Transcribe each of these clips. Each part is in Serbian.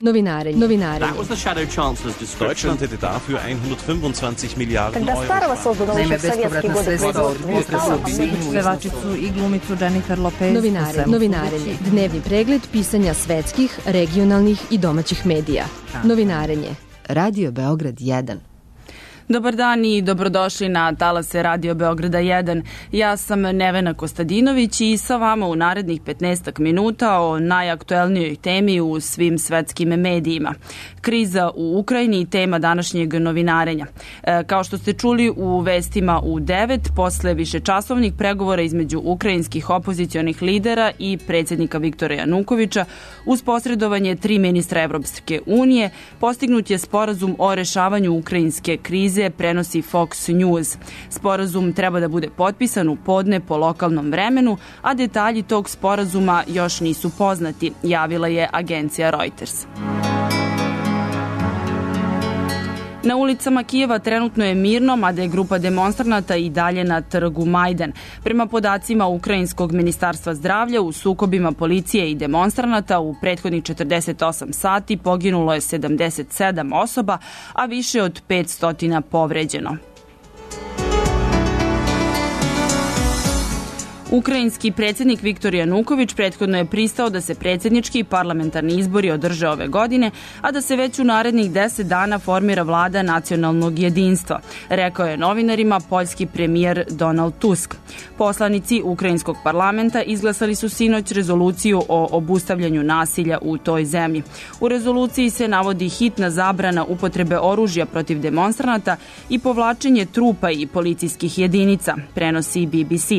Novinarenje. Deutschland hätte dafür 125 Milijarden Euro. Naime, bespovratna sredstva od pevačicu i glumicu Jennifer Lopez. Novinarenje. Dnevni pregled pisanja svetskih, regionalnih i domaćih medija. Novinarenje. Radio Beograd 1. Dobar dan i dobrodošli na talase Radio Beograda 1. Ja sam Nevena Kostadinović i sa vama u narednih 15 minuta o najaktuelnijoj temi u svim svetskim medijima. Kriza u Ukrajini i tema današnjeg novinarenja. Kao što ste čuli u vestima u 9, posle višečasovnih pregovora između ukrajinskih opozicionih lidera i predsjednika Viktora Janukovića, uz posredovanje 3 ministra Evropske unije, postignut je sporazum o rešavanju ukrajinske krize, prenosi Fox News. Sporazum treba da bude potpisan u podne po lokalnom vremenu, a detalji tog sporazuma još nisu poznati, javila je agencija Reuters. Na ulicama Kijeva trenutno je mirno, mada je grupa demonstranata i dalje na trgu Majdan. Prema podacima Ukrajinskog ministarstva zdravlja, u sukobima policije i demonstranata u prethodnih 48 sati poginulo je 77 osoba, a više od 500 povređeno. Ukrajinski predsjednik Viktor Januković prethodno je pristao da se predsjednički i parlamentarni izbori održe ove godine, a da se već u narednih 10 dana formira vlada nacionalnog jedinstva, rekao je novinarima poljski premijer Donald Tusk. Poslanici Ukrajinskog parlamenta izglasali su sinoć rezoluciju o obustavljanju nasilja u toj zemlji. U rezoluciji se navodi hitna zabrana upotrebe oružja protiv demonstranata i povlačenje trupa i policijskih jedinica, prenosi BBC.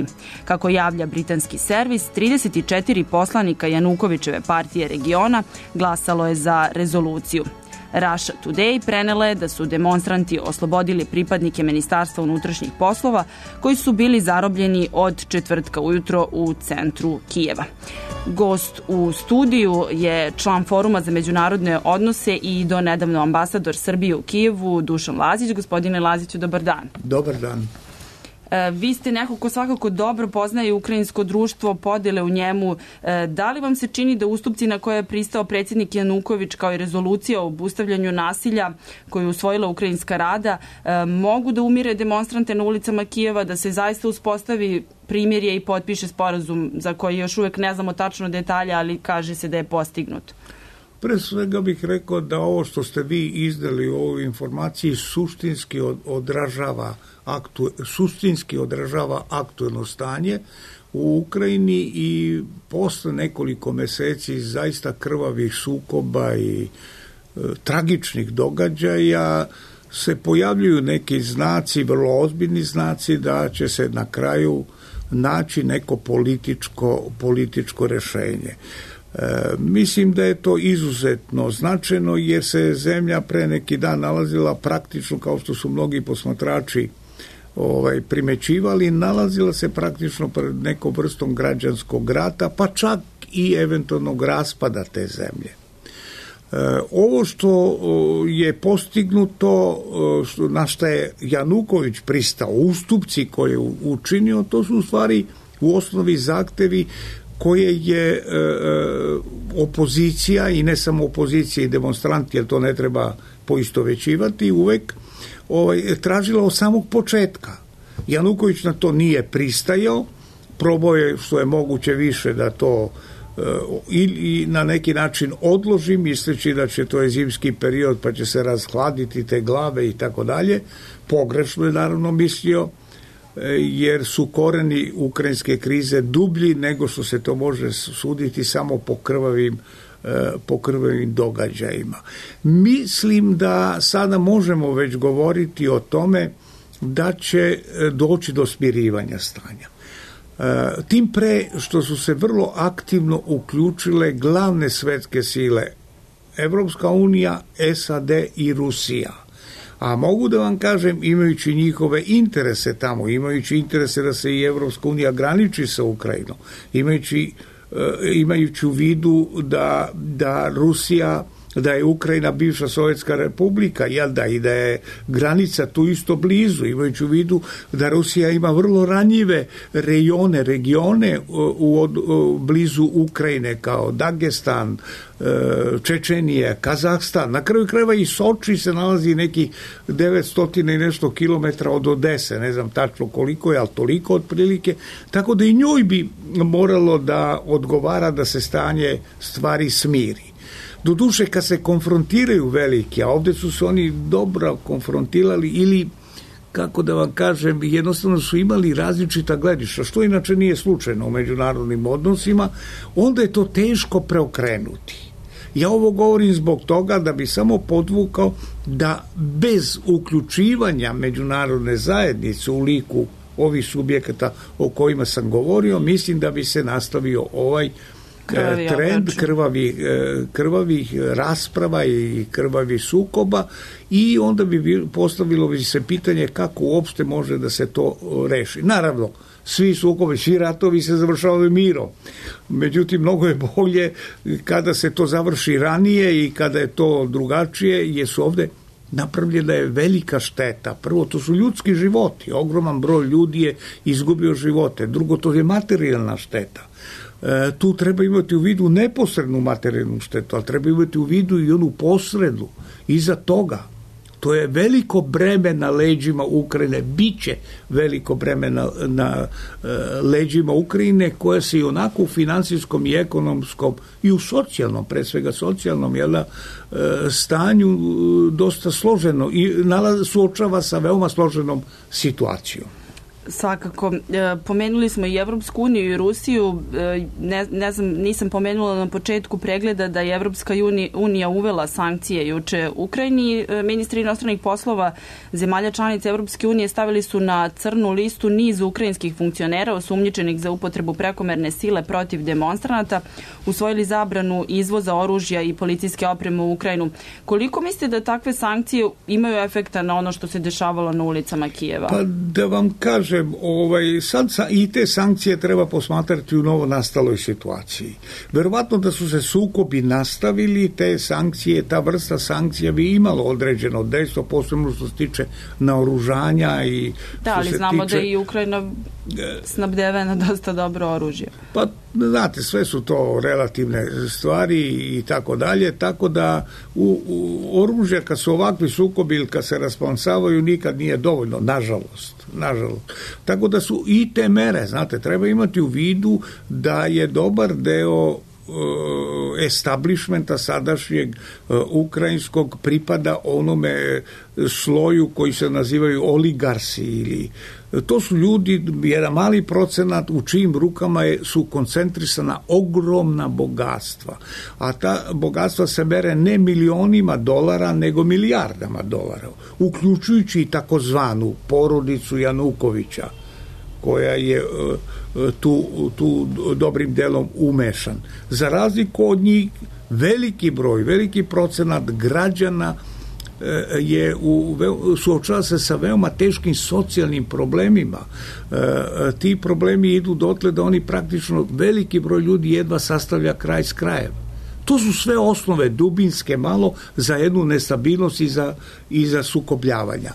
Kako javlja britanski servis, 34 poslanika Janukovićeve partije regiona glasalo je za rezoluciju. Russia Today prenela je da su demonstranti oslobodili pripadnike Ministarstva unutrašnjih poslova koji su bili zarobljeni od četvrtka ujutro u centru Kijeva. Gost u studiju je član Foruma za međunarodne odnose i donedavno ambasador Srbije u Kijevu, Dušan Lazić. Gospodine Laziću, dobar dan. Dobar dan. Vi ste neko ko svakako dobro poznaje ukrajinsko društvo, podele u njemu. Da li vam se čini da ustupci na koje je pristao predsjednik Januković kao i rezolucija o obustavljanju nasilja koju je usvojila Ukrajinska rada mogu da umire demonstrante na ulicama Kijeva, da se zaista uspostavi primirje i potpiše sporazum za koji još uvek ne znamo tačno detalje, ali kaže se da je postignut? Pre svega bih rekao da ovo što ste vi izdali u ovoj informaciji suštinski odražava aktuelno stanje u Ukrajini i posle nekoliko meseci zaista krvavih sukoba i tragičnih događaja se pojavljuju neki znaci, vrlo ozbiljni znaci da će se na kraju naći neko političko rešenje. Mislim da je to izuzetno značajno jer se zemlja pre neki dan nalazila praktično, kao što su mnogi posmatrači primećivali, nalazila se praktično pred nekom vrstom građanskog rata, pa čak i eventualnog raspada te zemlje. Ovo što je postignuto, na što je Januković pristao, ustupci koje je učinio, to su u stvari u osnovi zahtevi koje je opozicija i ne samo opozicija i demonstranti, jer to ne treba poistovećivati, uvek tražila od samog početka. Januković na to nije pristajao, probao je što je moguće više da to i na neki način odloži, misleći da će to je zimski period pa će se razhladiti te glave i tako dalje. Pogrešno je naravno mislio, jer su koreni ukrajinske krize dublji nego što se to može suditi samo po krvavim događajima. Mislim da sada možemo već govoriti o tome da će doći do smirivanja stanja. Tim pre što su se vrlo aktivno uključile glavne svetske sile, Evropska unija, SAD i Rusija. A mogu da vam kažem, imajući njihove interese tamo, imajući interese da se i Evropska unija graniči sa Ukrajinom, imajući u vidu da Rusija da je Ukrajina bivša Sovjetska republika, jel da, i da je granica tu isto blizu, imajući u vidu da Rusija ima vrlo ranjive regione blizu Ukrajine, kao Dagestan, Čečenija, Kazahstan. Na kraju krajeva i Soči se nalazi neki 900 i nešto kilometra od Odese, ne znam tačno koliko je, ali toliko otprilike, tako da i njoj bi moralo da odgovara da se stanje stvari smiri. Doduše, kad se konfrontiraju veliki, a ovdje su se oni dobro konfrontirali ili, kako da vam kažem, jednostavno su imali različita gledišta, što inače nije slučajno u međunarodnim odnosima, onda je to teško preokrenuti. Ja ovo govorim zbog toga da bi samo podvukao da bez uključivanja međunarodne zajednice u liku ovih subjekata o kojima sam govorio, mislim da bi se nastavio ovaj trend krvavih rasprava i krvavih sukoba i onda bi postavilo bi se pitanje kako uopšte može da se to reši. Naravno, svi sukobi, svi ratovi se završavaju mirom. Međutim, mnogo je bolje kada se to završi ranije i kada je to drugačije, jer su ovde napravljena je velika šteta. Prvo, to su ljudski životi. Ogroman broj ljudi je izgubio živote. Drugo, to je materijalna šteta. Tu treba imati u vidu neposrednu materijalnu štetu, ali treba imati u vidu i onu posrednu. Iza toga, to je veliko breme na leđima Ukrajine, biće veliko breme na leđima Ukrajine, koja se i onako u finansijskom i ekonomskom i u socijalnom, pre svega socijalnom, stanju dosta složeno i suočava sa veoma složenom situacijom. Svakako. Pomenuli smo i Evropsku uniju i Rusiju. Ne znam, nisam pomenula na početku pregleda da je Evropska unija uvela sankcije juče Ukrajini. Ministri inostranih poslova zemalja članica Evropske unije stavili su na crnu listu niz ukrajinskih funkcionera osumnjičenih za upotrebu prekomerne sile protiv demonstranata, usvojili zabranu izvoza oružja i policijske opreme u Ukrajinu. Koliko mislite da takve sankcije imaju efekta na ono što se dešavalo na ulicama Kijeva? Pa da vam kažem, sad i te sankcije treba posmatrati u novo nastaloj situaciji. Verovatno da su se sukobi nastavili, te sankcije, ta vrsta sankcija bi imalo određeno dejstvo, posebno što se tiče naoružanja i da, ali znamo da je i Ukrajina snabdevena dosta dobro oružje. Pa, znate, sve su to relativne stvari i tako dalje, tako da oružje kad su ovakvi sukobi ili kad se raspansavaju nikad nije dovoljno, nažalost. Tako da su i te mere, znate, treba imati u vidu da je dobar deo establishmenta sadašnjeg ukrajinskog pripada onome sloju koji se nazivaju oligarsi ili to su ljudi, jedan mali procenat u čijim rukama su koncentrisana ogromna bogatstva, a ta bogatstva se mere ne milionima dolara nego milijardama dolara, uključujući i takozvanu porodicu Janukovića koja je tu dobrim delom umešan. Za razliku od njih, veliki procenat građana suočava se sa veoma teškim socijalnim problemima. Ti problemi idu dotle da oni praktično, veliki broj ljudi jedva sastavlja kraj s krajem. To su sve osnove dubinske malo za jednu nestabilnost i za sukobljavanja.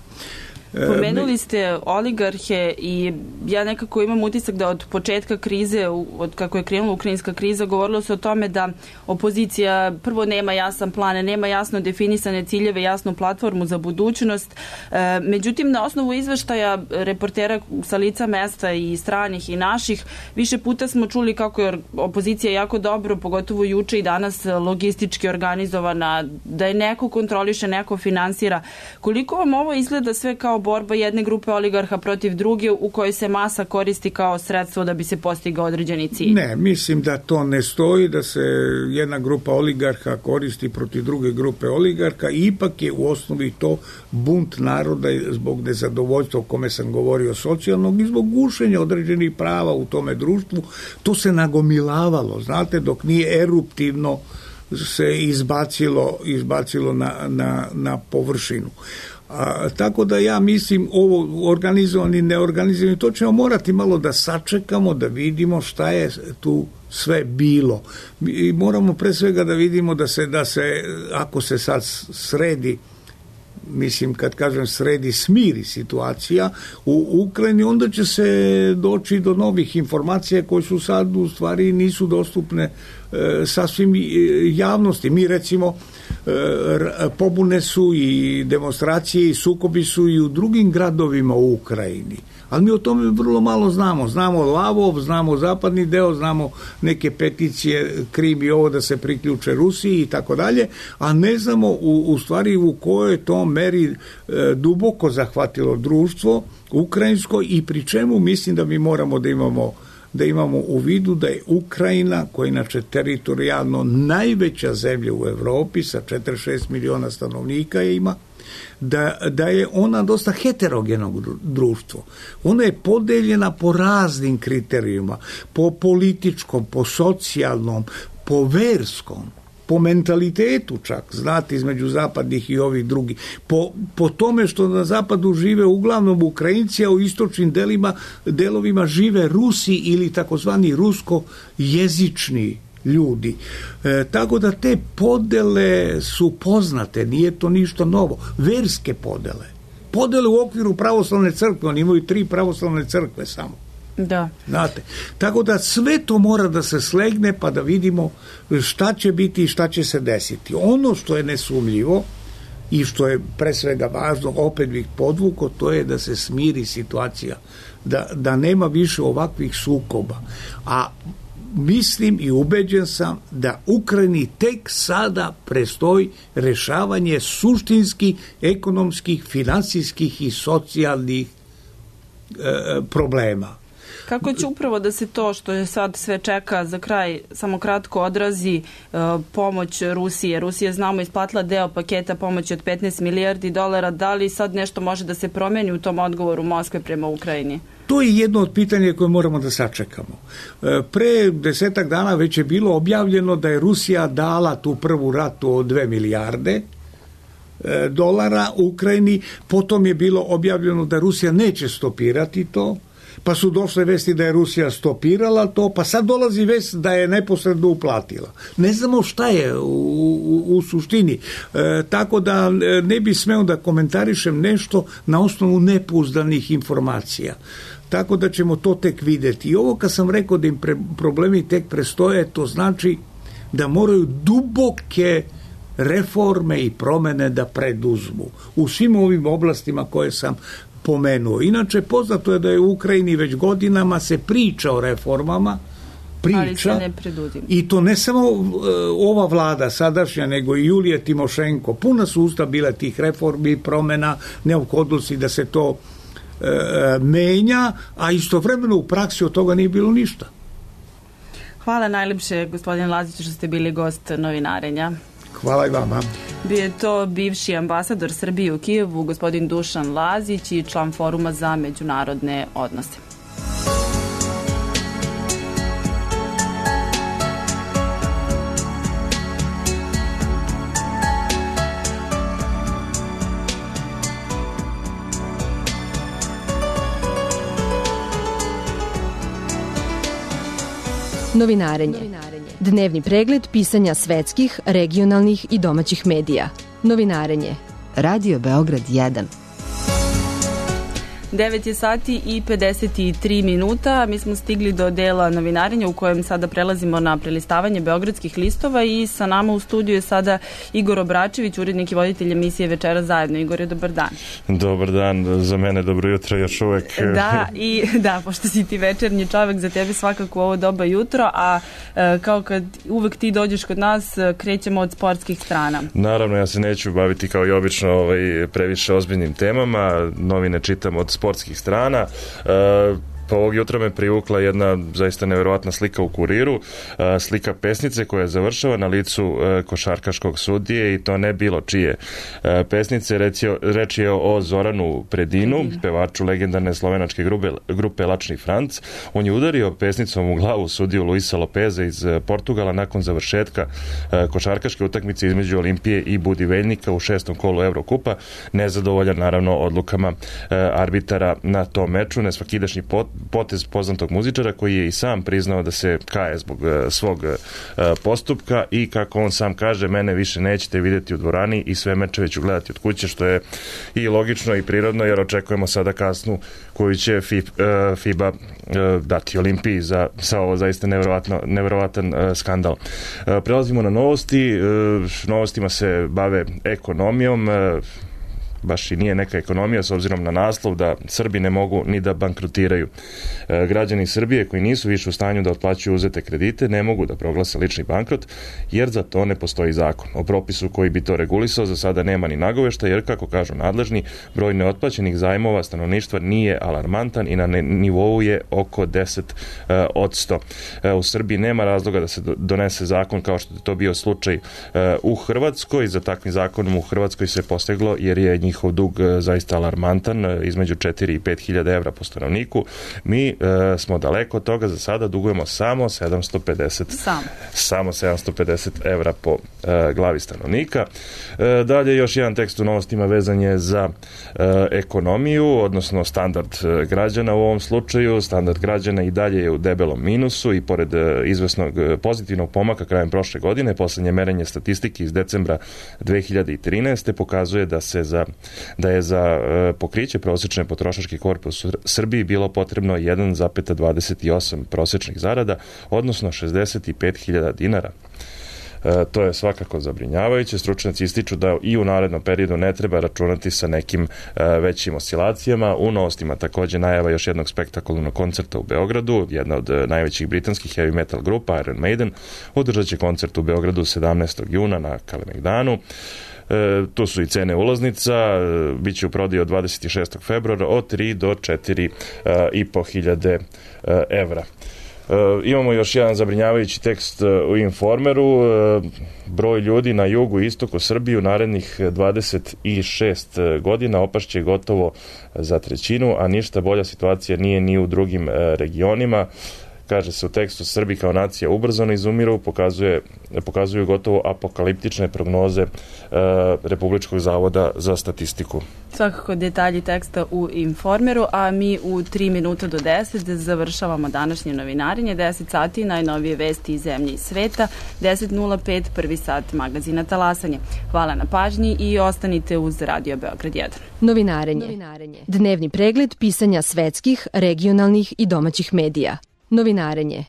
Pomenuli ste oligarhe i ja nekako imam utisak da od početka krize, od kako je krenula ukrajinska kriza, govorilo se o tome da opozicija prvo nema jasan plan, nema jasno definisane ciljeve, jasnu platformu za budućnost. Međutim, na osnovu izveštaja reportera sa lica mesta i stranih i naših, više puta smo čuli kako je opozicija jako dobro, pogotovo juče i danas, logistički organizovana, da je neko kontroliše, neko finansira. Koliko vam ovo izgleda sve kao borba jedne grupe oligarha protiv druge u kojoj se masa koristi kao sredstvo da bi se postigao određeni cilj? Ne, mislim da to ne stoji, da se jedna grupa oligarha koristi protiv druge grupe oligarha, ipak je u osnovi to bunt naroda zbog nezadovoljstva o kome sam govorio socijalnog i zbog gušenja određenih prava u tome društvu. To se nagomilavalo, znate, dok nije eruptivno se izbacilo na površinu. Tako da ja mislim ovo organizovani, neorganizovani, to ćemo morati malo da sačekamo, da vidimo šta je tu sve bilo. I moramo pre svega da vidimo da se ako se sad sredi, mislim kad kažem sredi, smiri situacija u Ukrajini, onda će se doći do novih informacija koje su sad u stvari nisu dostupne sasvim javnosti. Mi recimo pobune su i demonstracije i sukobi su i u drugim gradovima u Ukrajini. Ali mi o tome vrlo malo znamo. Znamo Lavov, znamo zapadni deo, znamo neke peticije Krim i ovo da se priključe Rusiji i tako dalje, a ne znamo u stvari u kojoj to meri duboko zahvatilo društvo ukrajinsko i pri čemu mislim da mi moramo da imamo u vidu da je Ukrajina, koja inače teritorijalno najveća zemlja u Evropi sa 46 miliona stanovnika ima, da je ona dosta heterogenog društvo. Ona je podeljena po raznim kriterijima, po političkom, po socijalnom, po verskom, po mentalitetu čak, znate, između zapadnih i ovih drugih, po tome što na zapadu žive uglavnom Ukrajinci, a u istočnim delovima žive Rusi ili takozvani rusko-jezični ljudi. Tako da te podele su poznate, nije to ništa novo. Verske podele u okviru pravoslavne crkve, oni imaju 3 pravoslavne crkve samo. Da. Znate, tako da sve to mora da se slegne pa da vidimo šta će biti i šta će se desiti. Ono što je nesumljivo i što je pre svega važno, opet bih podvukao, to je da se smiri situacija, da nema više ovakvih sukoba. A mislim i ubeđen sam da Ukrajini tek sada prestoji rešavanje suštinskih, ekonomskih, finansijskih i socijalnih problema. Kako će upravo da se to što je sad sve čeka za kraj samo kratko odrazi pomoć Rusije? Rusija, znamo, isplatila deo paketa pomoći od 15 milijardi dolara. Da li sad nešto može da se promeni u tom odgovoru Moskve prema Ukrajini? To je jedno od pitanja koje moramo da sačekamo. Pre 10 dana već je bilo objavljeno da je Rusija dala tu prvu ratu od 2 milijarde dolara Ukrajini, potom je bilo objavljeno da Rusija neće stopirati to, pa su došle vesti da je Rusija stopirala to, pa sad dolazi vest da je neposredno uplatila. Ne znamo šta je u suštini. Tako da ne bi smeo da komentarišem nešto na osnovu nepouzdanih informacija. Tako da ćemo to tek videti. I ovo kad sam rekao da im problemi tek prestoje, to znači da moraju duboke reforme i promene da preduzmu u svim ovim oblastima koje sam pomenuo. Inače, poznato je da je u Ukrajini već godinama se priča o reformama, ali se ne preduzima. I to ne samo ova vlada sadašnja, nego i Julije Timošenko. Puna su usta bila tih reformi, promena, neophodnosti da se to menja, a istovremeno u praksi od toga nije bilo ništa. Hvala najlepše, gospodine Laziću, što ste bili gost Novinarenja. Hvala i vama. Bio je to bivši ambasador Srbije u Kijevu, gospodin Dušan Lazić i član Foruma za međunarodne odnose. Novinarenje. Dnevni pregled pisanja svetskih, regionalnih i domaćih medija. Novinarenje. Radio Beograd 1. 9 je sati i 53 minuta. Mi smo stigli do dela novinarenja u kojem sada prelazimo na prelistavanje beogradskih listova i sa nama u studiju je sada Igor Obračević, urednik i voditelj emisije Večera zajedno. Igore, dobar dan. Dobar dan, za mene dobro jutro još uvek. Da, pošto si ti večernji čovek, za tebe svakako ovo doba jutro, a kao kad uvek ti dođeš kod nas, krećemo od sportskih strana. Naravno, ja se neću baviti kao i obično previše ozbiljnim temama, novine čitam od sportskih strana. Pa ovog jutra me privukla jedna zaista nevjerovatna slika u Kuriru, slika pesnice koja završava na licu košarkaškog sudije i to ne bilo čije pesnice. Reč je o Zoranu Predinu, pevaču legendarne slovenačke grupe Lačni Franc. On je udario pesnicom u glavu sudiju Luisa Lopeza iz Portugala nakon završetka košarkaške utakmice između Olimpije i Budiveljnika u 6. kolu Evrokupa. Nezadovoljan naravno odlukama arbitara na tom meču. Nesvakidašnji potez poznatog muzičara koji je i sam priznao da se kaje zbog svog postupka i kako on sam kaže, mene više nećete vidjeti u dvorani i sve mečeve ću gledati od kuće, što je i logično i prirodno jer očekujemo sada kasnu koju će FIBA dati Olimpiji za ovo zaista nevjerovatan skandal. Prelazimo na novosti. Novostima se bave ekonomijom. Baš i nije neka ekonomija s obzirom na naslov da Srbi ne mogu ni da bankrotiraju. Građani Srbije koji nisu više u stanju da otplaćuju uzete kredite ne mogu da proglase lični bankrot jer za to ne postoji zakon. O propisu koji bi to regulisao za sada nema ni nagovešta jer, kako kažu nadležni, broj neotplaćenih zajmova stanovništva nije alarmantan i na nivou je oko 10%. U Srbiji nema razloga da se donese zakon kao što je to bio slučaj u Hrvatskoj. Za takvim zakonom u Hrvatskoj se posteglo jer je njihov dug zaista alarmantan, između 4 i 5 hiljada evra po stanovniku. Mi smo daleko od toga, za sada dugujemo samo 750 evra po glavi stanovnika. Dalje još jedan tekst u novostima vezan je za ekonomiju, odnosno standard građana u ovom slučaju. Standard građana i dalje je u debelom minusu i pored izvesnog pozitivnog pomaka krajem prošle godine, poslednje merenje statistike iz decembra 2013. pokazuje da je za pokriće prosječne potrošačke korpe u Srbiji bilo potrebno 1,28 prosječnih zarada, odnosno 65.000 dinara. To je svakako zabrinjavajuće. Stručnjaci ističu da i u narednom periodu ne treba računati sa nekim većim oscilacijama. U novostima također najava još jednog spektakularnog koncerta u Beogradu. Jedna od najvećih britanskih heavy metal grupa, Iron Maiden, održat će koncert u Beogradu 17. juna na Kalemegdanu. Tu su i cene ulaznica, bit će u prodaji od 26. februara od 3 do 4.500 evra. Imamo još jedan zabrinjavajući tekst u Informeru. Broj ljudi na jugu i istoku Srbije u narednih 26 godina opašće gotovo za trećinu, a ništa bolja situacija nije ni u drugim regionima. Kaže se u tekstu, Srbi kao nacija ubrzano izumiru, pokazuju gotovo apokaliptične prognoze Republičkog zavoda za statistiku. Svakako detalji teksta u Informeru, a mi u 3 minuta do 10 završavamo današnje novinarenje. 10 sati najnovije vesti iz zemlje i sveta, 10.05 prvi sat magazina Talasanje. Hvala na pažnji i ostanite uz Radio Beograd 1. Novinarenje. Dnevni pregled pisanja svetskih, regionalnih i domaćih medija. Novinarenje.